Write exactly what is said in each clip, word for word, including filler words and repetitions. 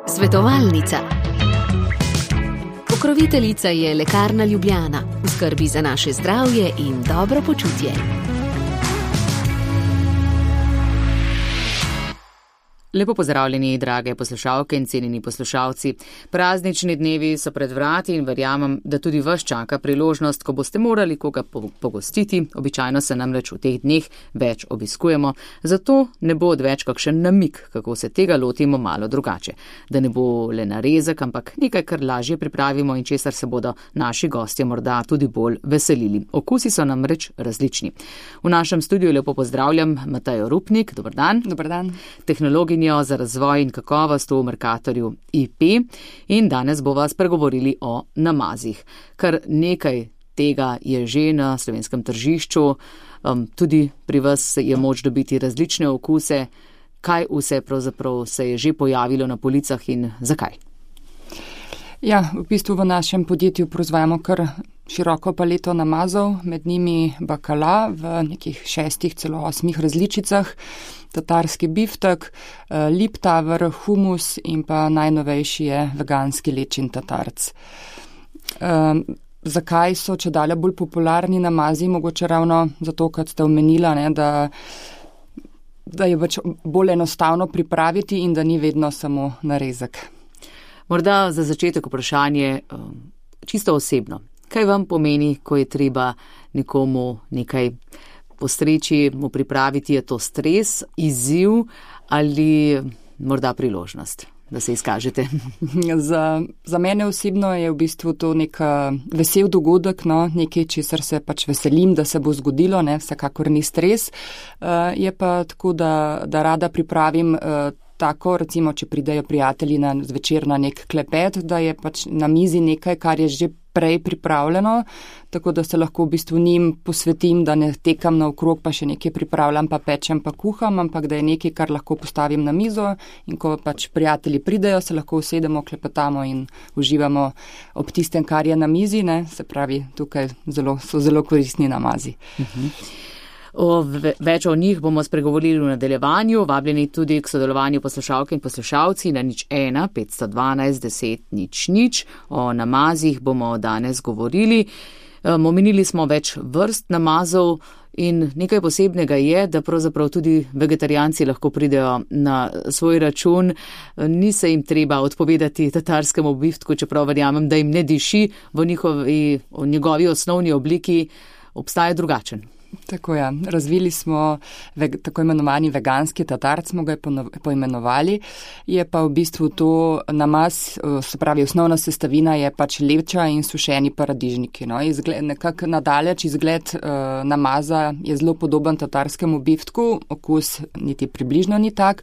Svetovalnica. Pokroviteljica je Lekarna Ljubljana, v skrbi za naše zdravje in dobro počutje. Lepo pozdravljeni, drage poslušalke in cenjeni poslušalci. Praznični dnevi so pred vrati in verjamem, da tudi vas čaka priložnost, ko boste morali koga pogostiti. Običajno se namreč v teh dneh več obiskujemo, zato ne bo odveč kakšen namik, kako se tega lotimo malo drugače. Da ne bo le narezek, ampak nekaj, kar lažje pripravimo in česar se bodo naši gostje morda tudi bolj veselili. Okusi so namreč različni. V našem studiu lepo pozdravljam Matejo Rupnik. Dobar dan. Dobar dan. Tehnologinjo za razvoj in kakovost v Mercatorju I P in danes bova spregovorili o namazih. Kar nekaj tega je že na slovenskem tržišču, um, tudi pri vas je moč dobiti različne okuse. Kaj vse pravzaprav se je že pojavilo na policah in zakaj? Ja, v bistvu v našem podjetju proizvajamo kar široko paleto namazov, med njimi bakala v nekih šestih, celo osmih različicah, tatarski biftek, liptaver, humus in pa najnovejši je veganski lečin tatarc. Um, zakaj so čedalje bolj popularni namazi? Mogoče ravno zato, kot ste omenila, ne, da, da je več bolj enostavno pripraviti in da ni vedno samo narezek. Morda za začetek vprašanje čisto osebno. Kaj vam pomeni, ko je treba nekomu nekaj postreči, mu pripraviti? Je to stres, izziv ali morda priložnost, da se izkažete? Za, za mene osebno je v bistvu to nek vesel dogodek, no, nekaj, česar se pač veselim, da se bo zgodilo, ne, vsekakor ni stres. Uh, je pa tako, da, da rada pripravim uh, tako, recimo, če pridejo prijatelji na zvečer na nek klepet, da je pač na mizi nekaj, kar je že prej pripravljeno, tako da se lahko v bistvu njim posvetim, da ne tekam naokrog, pa še nekaj pripravljam, pa pečem, pa kuham, ampak da je nekaj, kar lahko postavim na mizo in ko pač prijatelji pridejo, se lahko usedemo, klepetamo in uživamo ob tistem, kar je na mizi, ne, se pravi, tukaj zelo, so zelo koristni namazi. Uh-huh. O, več o njih bomo spregovorili v nadaljevanju, vabljeni tudi k sodelovanju poslušalke in poslušalci na nič ena petsto dvanajst deset nič nič. O namazih bomo danes govorili. Um, omenili smo več vrst namazov in nekaj posebnega je, da pravzaprav tudi vegetarijanci lahko pridejo na svoj račun. Ni se jim treba odpovedati tatarskemu biftku, čeprav verjamem, da jim ne diši v njihovi, v njegovi osnovni obliki, obstaja drugačen. Tako ja, razvili smo veg, tako imenovani veganski tatarc, smo ga poimenovali, je pa v bistvu to namaz, se pravi osnovna sestavina je pač leča in sušeni paradižniki. No. Izgled, nekako nadaleč izgled uh, namaza je zelo podoben tatarskemu biftku, okus niti približno ni tak,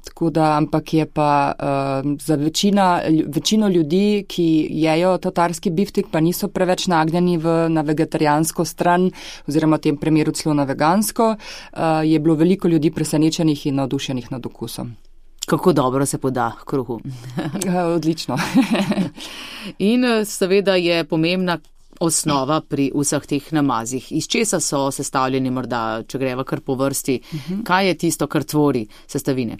tako da, ampak je pa uh, za večina, večino ljudi, ki jejo tatarski biftek, pa niso preveč nagnjeni v, na vegetarijansko stran, oziroma tem primeru celo na vegansko, uh, je bilo veliko ljudi presenečenih in navdušenih nad okusom. Kako dobro se poda kruhu. Odlično. In seveda je pomembna osnova pri vseh teh namazih. Iz česa so sestavljeni morda, če greva kar po vrsti? Uh-huh. Kaj je tisto, kar tvori sestavine?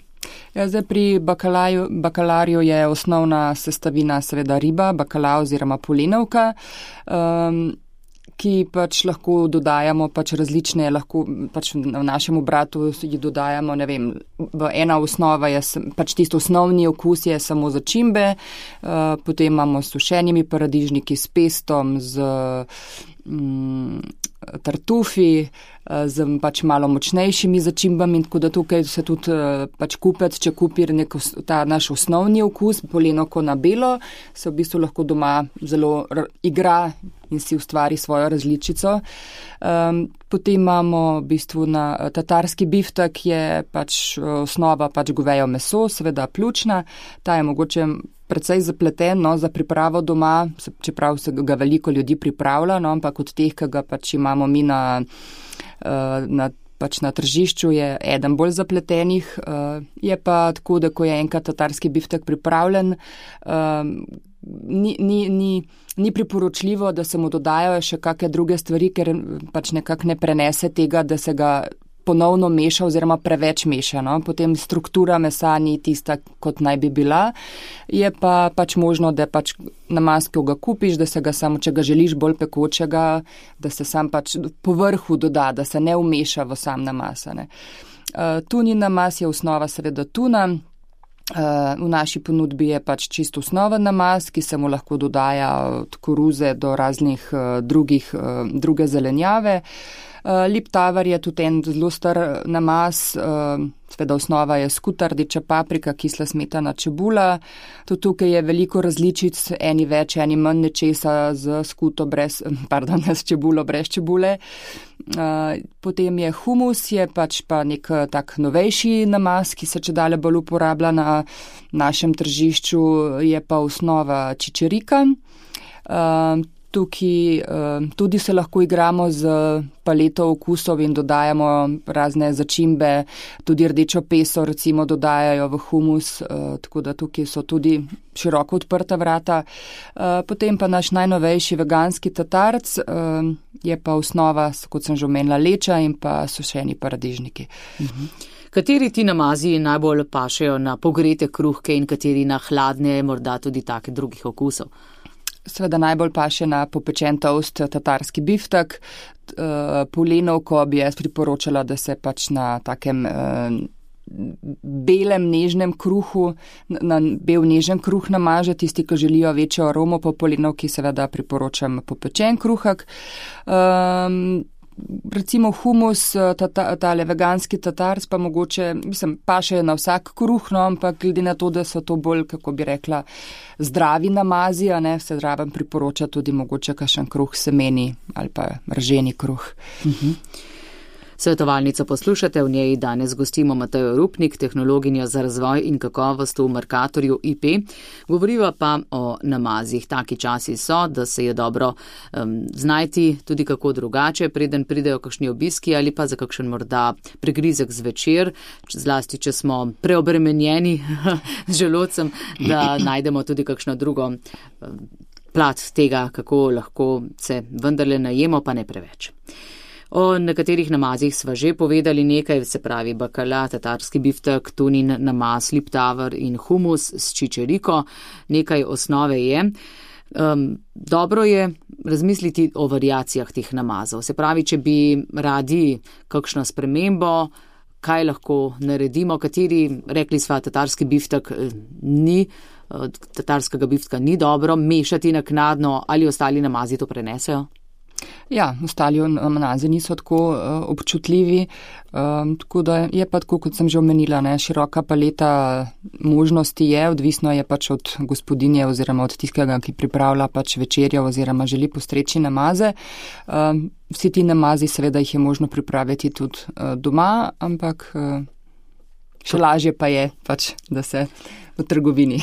Ja, zdaj pri bakalaju, bakalarju je osnovna sestavina seveda riba, bakala oziroma polenovka. Um, ki pač lahko dodajamo pač različne, lahko pač v našem obratu ji dodajamo, ne vem, ena osnova je pač tisto osnovni okus je samo začimbe, uh, potem imamo s sušenimi paradižniki, s pestom, z mm, tartufi, z pač malo močnejšimi začimbami, tako da tukaj se tudi pač kupec, če kupi neko, ta naš osnovni okus, polenovko na belo, se v bistvu lahko doma zelo igra in si ustvari svojo različico. Um, potem imamo v bistvu na tatarski biftek, je pač osnova pač govejo meso, seveda pljučna, ta je mogoče precej zapleten, no, za pripravo doma, čeprav se ga veliko ljudi pripravlja, no, ampak od teh, ki ga pač imamo mi na, na, pač na tržišču, je eden bolj zapletenih. Je pa tako, da ko je enkrat tatarski biftek pripravljen, ni, ni, ni, ni priporočljivo, da se mu dodajo še kakšne druge stvari, ker pač nekako ne prenese tega, da se ga ponovno meša oziroma preveč meša. No? Potem struktura mesa ni tista, kot naj bi bila. Je pa pač možno, da pač namaz, ko ga kupiš, da se ga samo, če ga želiš bolj pekočega, da se sam pač po vrhu doda, da se ne umeša v sam namaz. Ne? Uh, tunin namaz je osnova seveda tuna. Uh, v naši ponudbi je pač čisto osnoven namaz, ki se mu lahko dodaja od koruze do raznih uh, drugih, uh, druge zelenjave. Uh, Liptavar je tudi en zelo star namaz, uh, seveda osnova je skuta, rdeča paprika, kisla smetana, čebula. Tudi tukaj je veliko različic, eni več, eni manj nečesa z skuto brez, pardon, s čebulo brez čebule. Uh, potem je humus, je pač pa nek tak novejši namaz, ki se čedalje bolj uporablja na našem tržišču, je pa osnova čičerika. Uh, Tukaj uh, tudi se lahko igramo z paleto okusov in dodajamo razne začimbe, tudi rdečo peso recimo dodajajo v humus, uh, tako da tukaj so tudi široko odprta vrata. Uh, potem pa naš najnovejši veganski tatarc uh, je pa osnova, kot sem že omenila, leča in pa sušeni paradižniki. Mhm. Kateri ti namazi najbolj pašejo na pogrete kruhke in kateri na hladne, morda tudi take drugih okusov? Seveda najbolj paše na popečen toast tatarski biftek. Polenovko bi jaz priporočala, da se pač na takem belem nežnem kruhu, na bel nežen kruh namaže. Tisti, ki želijo večjo aromo po polenovki, seveda priporočam popečen kruhek. Um, Recimo humus, tale ta veganski tatarc pa mogoče, mislim, paše na vsak kruh, no, ampak glede na to, da so to bolj, kako bi rekla, zdravi namazi, a ne, se zraven priporoča tudi mogoče kakšen kruh semeni ali pa rženi kruh. Mhm. Svetovalnico poslušate, v njej danes gostimo Matejo Rupnik, tehnologinjo za razvoj in kakovost v Mercatorju I P. Govoriva pa o namazih. Taki časi so, da se je dobro um, znajti tudi kako drugače, preden pridejo kakšni obiski ali pa za kakšen morda pregrizek zvečer, zlasti, če smo preobremenjeni z želodcem, da najdemo tudi kakšno drugo um, plat tega, kako lahko se vendarle najemo, pa ne preveč. O nekaterih namazih sva že povedali nekaj, se pravi bakala, tatarski biftek, tunin namaz, liptavar in humus s čičeriko. Nekaj osnove je. Um, dobro je razmisliti o variacijah teh namazov. Se pravi, če bi radi kakšno spremembo, kaj lahko naredimo, kateri, rekli sva, tatarski biftek ni, tatarskega biftka ni dobro, mešati naknadno ali ostali namazi to prenesejo? Ja, ostali namazi niso tako uh, občutljivi, um, tako da je pa tako, kot sem že omenila, ne, široka paleta možnosti je, odvisno je pač od gospodinje oziroma od tistega, ki pripravlja pač večerjo oziroma želi postreči namaze. Um, vsi ti namazi seveda jih je možno pripraviti tudi uh, doma, ampak uh, še lažje pa je pač, da se v trgovini.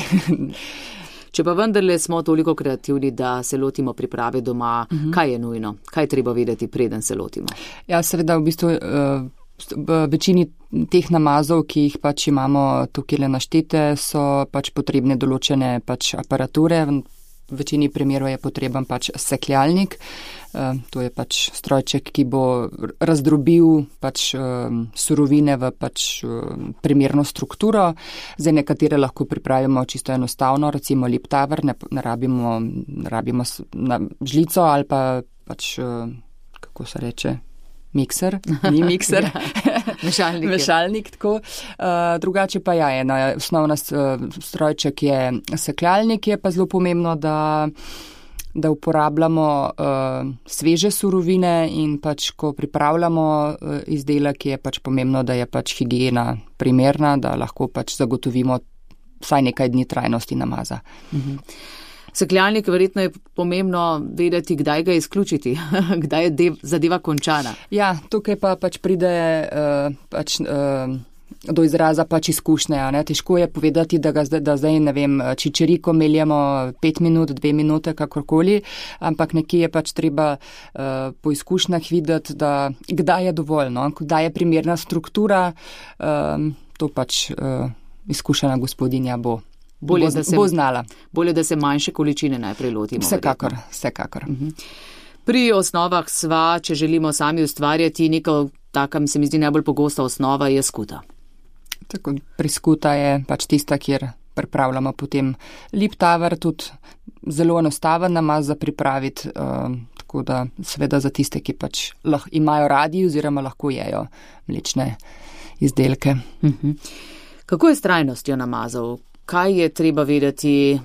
Če pa vendarle smo toliko kreativni, da se lotimo priprave doma, uh-huh. Kaj je nujno? Kaj treba vedeti, preden se lotimo? Ja, seveda v bistvu v večini teh namazov, ki jih pač imamo tukaj naštete, so pač potrebne določene pač aparature. V večini primerov je potreben pač sekljalnik. To je pač strojček, ki bo razdrobil pač surovine v pač primerno strukturo. Zdaj nekatere lahko pripravimo čisto enostavno, recimo liptavar, ne, ne rabimo, ne rabimo na žlico ali pa pač, kako se reče, mikser, ni mikser, mešalnik, mešalnik tako. Uh, drugače pa ja, ena osnovna strojček je sekljalnik, je pa zelo pomembno, da, da uporabljamo uh, sveže surovine in pač, ko pripravljamo uh, izdelek, je pač pomembno, da je pač higiena primerna, da lahko pač zagotovimo vsaj nekaj dni trajnosti namaza. Mhm. Sekljalnik, verjetno je pomembno vedeti, kdaj ga izključiti, kdaj je dev, zadeva končana. Ja, tukaj pa pač pride uh, pač, uh, do izraza pač izkušnja. Ne? Težko je povedati, da, ga, da zdaj, ne vem, čičeriko meljemo pet minut, dve minute, kakorkoli, ampak nekje je pač treba uh, po izkušnjah videti, da kdaj je dovolj, no? Kdaj je primerna struktura, uh, to pač uh, izkušena gospodinja bo. Bolje, bo, da se, bo znala. Bolje, da se manjše količine najprej lotimo. Vsekakor, verjetno. vsekakor. Uh-huh. Pri osnovah sva, če želimo sami ustvarjati neko taka, mi se mi zdi najbolj pogosta osnova, je skuta. Tako, priskuta je pač tista, kjer pripravljamo potem liptaver, tudi zelo enostaven namaz za pripraviti, uh, tako da seveda za tiste, ki pač lah, imajo radi oziroma lahko jejo mlečne izdelke. Uh-huh. Kako je s trajnostjo namazov? Kaj je treba vedeti,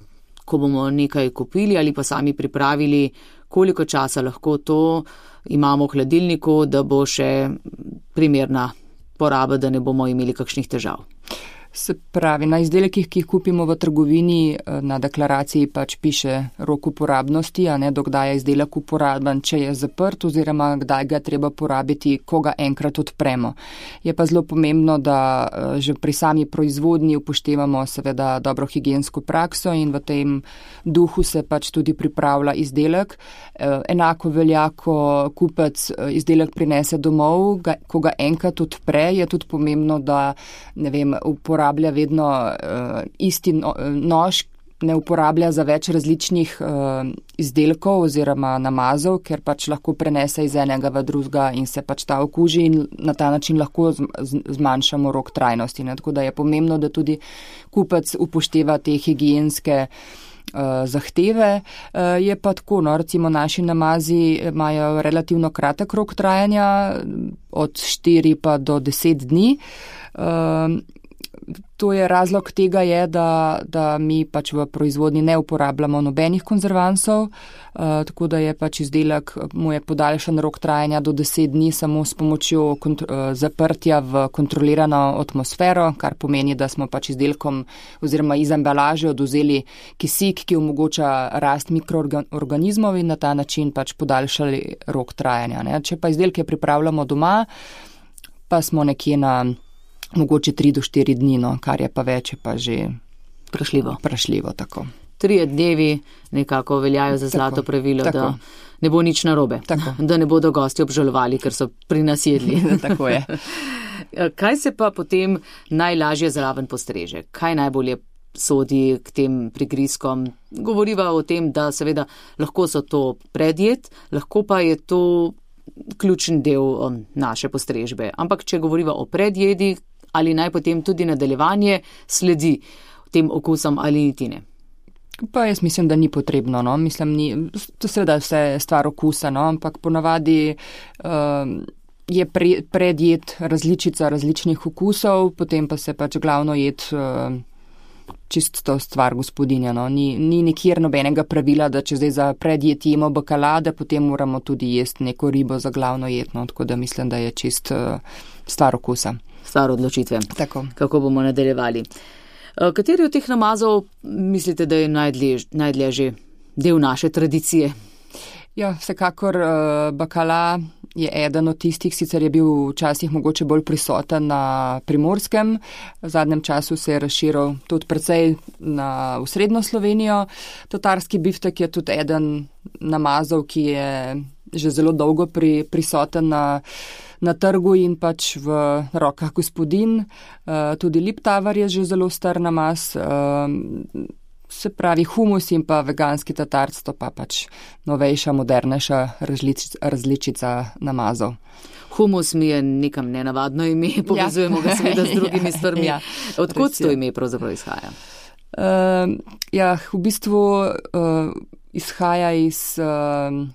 ko bomo nekaj kupili ali pa sami pripravili, koliko časa lahko to imamo v hladilniku, da bo še primerna poraba, da ne bomo imeli kakšnih težav? Se pravi, na izdelkih, ki jih kupimo v trgovini, na deklaraciji pač piše rok uporabnosti, a ne dokdaj je izdelek uporaben, če je zaprt oziroma kdaj ga treba porabiti, ko ga enkrat odpremo. Je pa zelo pomembno, da že pri sami proizvodnji upoštevamo seveda dobro higiensko prakso in v tem duhu se pač tudi pripravlja izdelek. Enako velja, ko kupec izdelek prinese domov, ko ga enkrat odpre, je tudi pomembno, da ne vem, uporablja uporablja vedno uh, isti no, nož, ne uporablja za več različnih uh, izdelkov oziroma namazov, ker pač lahko prenese iz enega v drugega in se pač ta okuži in na ta način lahko z, z, zmanjšamo rok trajnosti. Ne? Tako da je pomembno, da tudi kupec upošteva te higienske uh, zahteve. Uh, je pa tako, no, recimo naši namazi imajo relativno kratek rok trajanja, od štiri pa do deset dni. Uh, To je razlog tega je, da, da mi pač v proizvodnji ne uporabljamo nobenih konzervansov, uh, tako da je pač izdelek, mu je podaljšan rok trajanja do deset dni samo s pomočjo kont- uh, zaprtja v kontrolirano atmosfero, kar pomeni, da smo pač izdelkom oziroma iz embalaže oduzeli kisik, ki omogoča rast mikroorganizmov in na ta način pač podaljšali rok trajanja. Ne? Če pa izdelke pripravljamo doma, pa smo nekje na mogoče tri do štiri dni, no, kar je pa več, je pa že Prašljivo. Prašljivo, tako. Trije dnevi nekako veljajo za zlato tako, pravilo, tako. Da ne bo nič narobe, tako. Da ne bodo gosti obžalovali, ker so pri nas jedli. Tako je. Kaj se pa potem najlažje zraven postreže? Kaj najbolje sodi k tem prigrizkom? Govoriva o tem, da seveda lahko so to predjed, lahko pa je to ključen del um, naše postrežbe. Ampak če govoriva o predjedi, ali naj potem tudi nadaljevanje sledi tem okusom ali niti ne? Pa jaz mislim, da ni potrebno. No? Mislim, ni, to seveda vse stvar okusa, no? Ampak ponavadi uh, je pre, predjed različica različnih okusov, potem pa se pač glavno jed uh, čisto stvar gospodinja. No? Ni, ni nikjer nobenega pravila, da če zdaj za predjed jemo bakalade, potem moramo tudi jesti neko ribo za glavno jed. No? Tako da mislim, da je čist uh, stvar okusa. Stvar odločitve. Tako. Kako bomo nadaljevali. Kateri od teh namazov mislite, da je najdlje, najdlje že del naše tradicije? Ja, vsekakor uh, bakala je eden od tistih, sicer je bil včasih mogoče bolj prisoten na Primorskem, v zadnjem času se je razširil tudi precej na v srednjo Slovenijo. Tatarski biftek je tudi eden namazov, ki je že zelo dolgo pri, prisoten na na trgu in pač v rokah gospodin. Tudi liptaver je že zelo star namaz, se pravi humus in pa veganski tatarc, to pa pač novejša, modernejša različica, različica namazov. Humus mi je nekam nenavadno ime, povezujemo ja. ga seveda z drugimi stvarmi. Ja, odkud to ime pravzaprav izhaja? Uh, ja, v bistvu uh, izhaja iz Uh,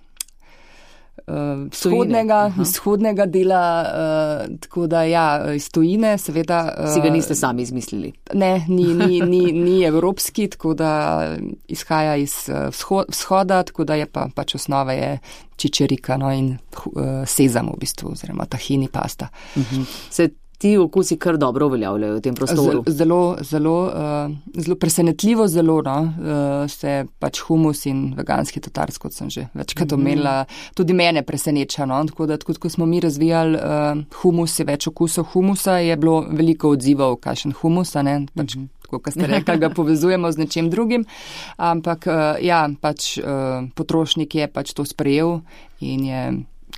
Uh, vzhodnega, vzhodnega dela, uh, tako da ja, iz tujine, seveda. Uh, si ga niste sami izmislili? Ne, ni, ni, ni, ni evropski, tako da izhaja iz uh, vzhoda, tako da je pa pač osnova je čičerika, no, in uh, sezam v bistvu, oziroma tahini pasta. Uh-huh. Se ti okusi kar dobro uveljavljajo v tem prostoru? Zelo, zelo, uh, zelo presenetljivo zelo, no, uh, se pač humus in veganski tatarc, kot sem že večkrat mm-hmm. omenila, tudi mene preseneča, no, tako da, tako, ko smo mi razvijali uh, humus, je več okusov humusa, je bilo veliko odzivov, kakšen humus, ne, pač, mm-hmm. tako, kot ste rekli, ga povezujemo z nečem drugim, ampak, uh, ja, pač uh, potrošnik je pač to sprejel in je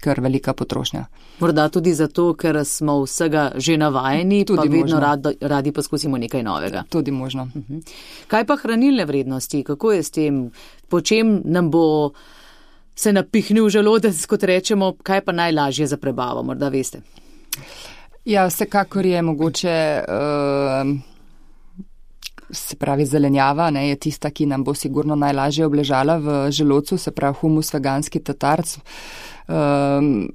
kar velika potrošnja. Morda tudi zato, ker smo vsega že navajeni, tudi pa vedno rad, radi poskusimo nekaj novega. Tudi možno. Uh-huh. Kaj pa hranilne vrednosti? Kako je s tem? Po čem nam bo se napihnil želodec, kot rečemo, kaj pa najlažje za prebavo? Morda veste? Ja, vsekakor je mogoče, uh, se pravi zelenjava, ne, je tista, ki nam bo sigurno najlažje obležala v želodcu, se pravi humus, veganski tatarc. Um,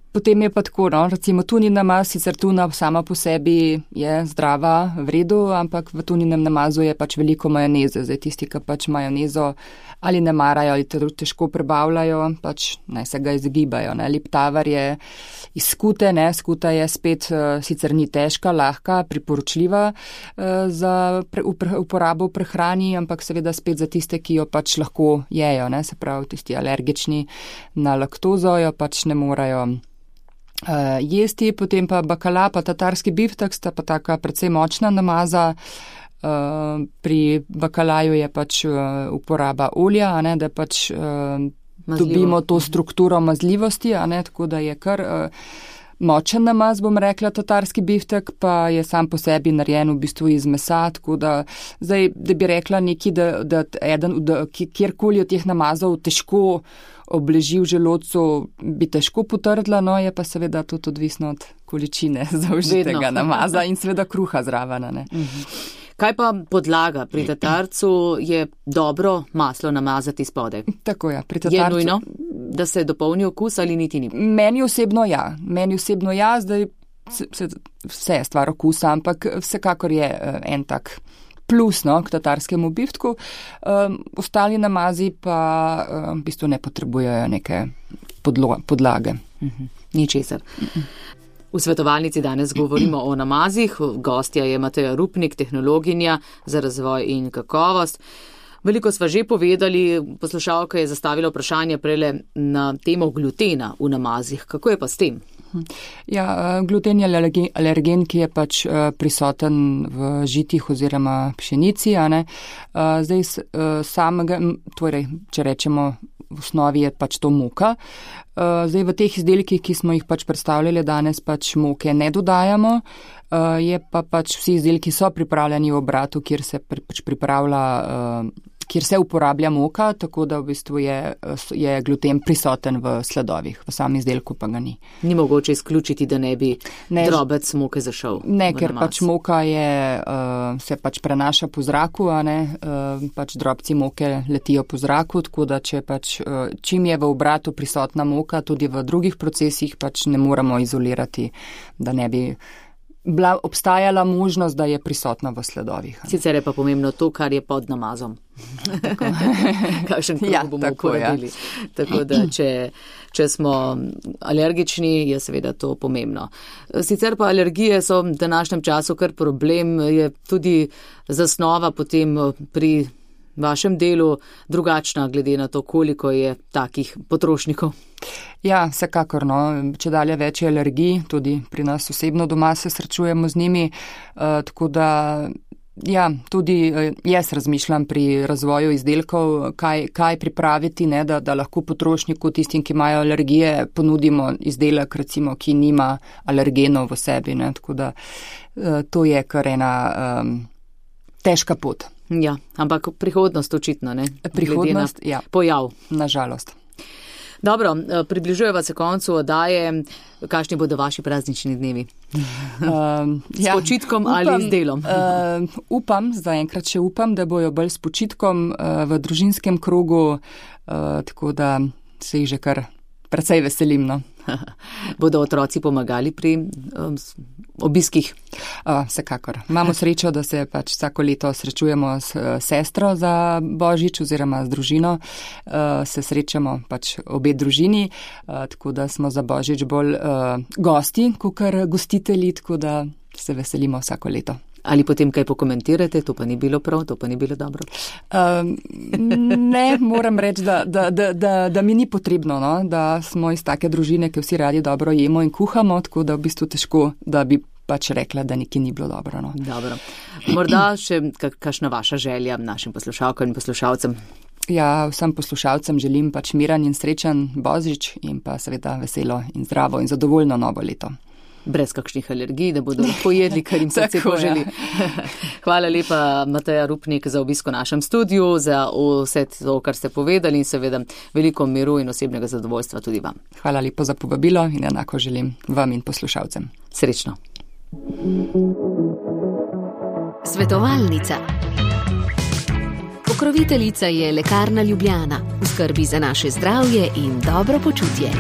Potem je pa tako, no, recimo tunin namaz, sicer tuna sama po sebi je zdrava, v redu, ampak v tuninem namazu je pač veliko majoneze. Zdaj tisti, ki pač majonezo ali ne marajo ali težko prebavljajo, pač naj se ga izogibajo. Ne. Liptavar je iz skute, ne, skuta je spet uh, sicer ni težka, lahka, priporočljiva uh, za pre, uporabo v prehrani, ampak seveda spet za tiste, ki jo pač lahko jejo, ne, se pravi tisti alergični na laktozo, jo pač ne morajo Uh, jesti, potem pa bakala, pa tatarski biftek sta pa taka precej močna namaza. Uh, pri bakalaju je pač uh, uporaba olja, a ne, da pač uh, dobimo to strukturo mazljivosti, a ne, tako da je kar uh, močen namaz, bom rekla, tatarski biftek, pa je sam po sebi narejen v bistvu iz mesa, tako da zdaj, da bi rekla neki, da, da eden, da kjerkoli od teh namazov težko obleži v želodcu, bi težko potrdila, no je pa seveda tudi odvisno od količine zaužitega namaza in seveda kruha zraven. Mhm. Kaj pa podlaga? Pri tatarcu je dobro maslo namazati spodaj. Tako ja, pri tatarcu. Je nujno, da se dopolni okus ali niti ni? Meni osebno ja, meni osebno ja, zdaj se, vse je stvar okusa, ampak vsekakor je en tak plus, no, k tatarskemu biftku. Um, ostali namazi pa um, v bistvu ne potrebujejo neke podlo- podlage. Uh-huh. Ničesar. Uh-uh. V svetovalnici danes govorimo o namazih. Gostja je Mateja Rupnik, tehnologinja za razvoj in kakovost. Veliko sva že povedali, poslušalka je zastavila vprašanje prele na temo glutena v namazih. Kako je pa s tem? Ja, gluten je alergen, ki je pač prisoten v žitih oziroma pšenici, a ne. Zdaj samega, torej, če rečemo, v osnovi je pač to moka. Zdaj v teh izdelkih, ki smo jih pač predstavljali danes, pač moke ne dodajamo, je pa pač vsi izdelki so pripravljeni v obratu, kjer se pač pripravlja, kjer se uporablja moka, tako da v bistvu je, je gluten prisoten v sledovih, v samem izdelku pa ga ni. Ni mogoče izključiti, da ne bi ne, drobec moke zašel? Ne, ker namaz. Pač moka je, uh, se pač prenaša po zraku, a ne, uh, pač drobci moke letijo po zraku, tako da če pač, uh, čim je v obratu prisotna moka, tudi v drugih procesih pač ne moramo izolirati, da ne bi bila obstajala možnost, da je prisotna v sledovih. Sicer je pa pomembno to, kar je pod namazom. Kakšen kruh ja, bomo uporabili. Ja. Tako da, če, če smo alergični, je seveda to pomembno. Sicer pa alergije so v današnjem času kar problem, je tudi zasnova potem pri vašem delu drugačna, glede na to, koliko je takih potrošnikov. Ja, vsekakor, no, če dalje več je alergij, tudi pri nas osebno doma se srečujemo z njimi, uh, tako da, ja, tudi uh, jaz razmišljam pri razvoju izdelkov, kaj, kaj pripraviti, ne, da, da lahko potrošniku, tistim, ki imajo alergije, ponudimo izdelek, recimo, ki nima alergenov v sebi, ne, tako da uh, to je kar ena um, težka pot. Ja, ampak prihodnost očitno, ne? Prihodnost, ja. Pojav. Nažalost. Dobro, približujeva se koncu oddaje. Kakšni bodo vaši praznični dnevi? Um, s ja, počitkom upam, ali z delom? Uh, upam, zaenkrat še upam, da bojo bolj s počitkom uh, v družinskem krogu, uh, tako da se jih že kar precej veselim, no. Bodo otroci pomagali pri um, obiskih? Uh, vsekakor. Imamo srečo, da se pač vsako leto srečujemo s uh, sestro za Božič oziroma z družino. Uh, se srečamo pač obe družini, uh, tako da smo za Božič bolj uh, gosti, kakor gostitelji, tako da se veselimo vsako leto. Ali potem kaj pokomentirate, to pa ni bilo prav, to pa ni bilo dobro? Um, ne, moram reči, da, da, da, da, da mi ni potrebno, no? Da smo iz take družine, ki vsi radi dobro jemo in kuhamo, tako da v bistvu težko, da bi pač rekla, da nekaj ni bilo dobro. No? Dobro. Morda še kakšna vaša želja našim poslušalkam in poslušalcem? Ja, vsem poslušalcem želim pač miren in srečen Božič in pa seveda veselo in zdravo in zadovoljno novo leto. brez kakšnih alergij, da bodo lahko jedli, kar jim srce poželi. Hvala lepa, Mateja Rupnik, za obisk v našem studiu, za vse to, kar ste povedali in seveda veliko miru in osebnega zadovoljstva tudi vam. Hvala lepo za povabilo in enako želim vam in poslušalcem. Srečno. Svetovalnica. Pokroviteljica je Lekarna Ljubljana, v skrbi za naše zdravje in dobro počutje.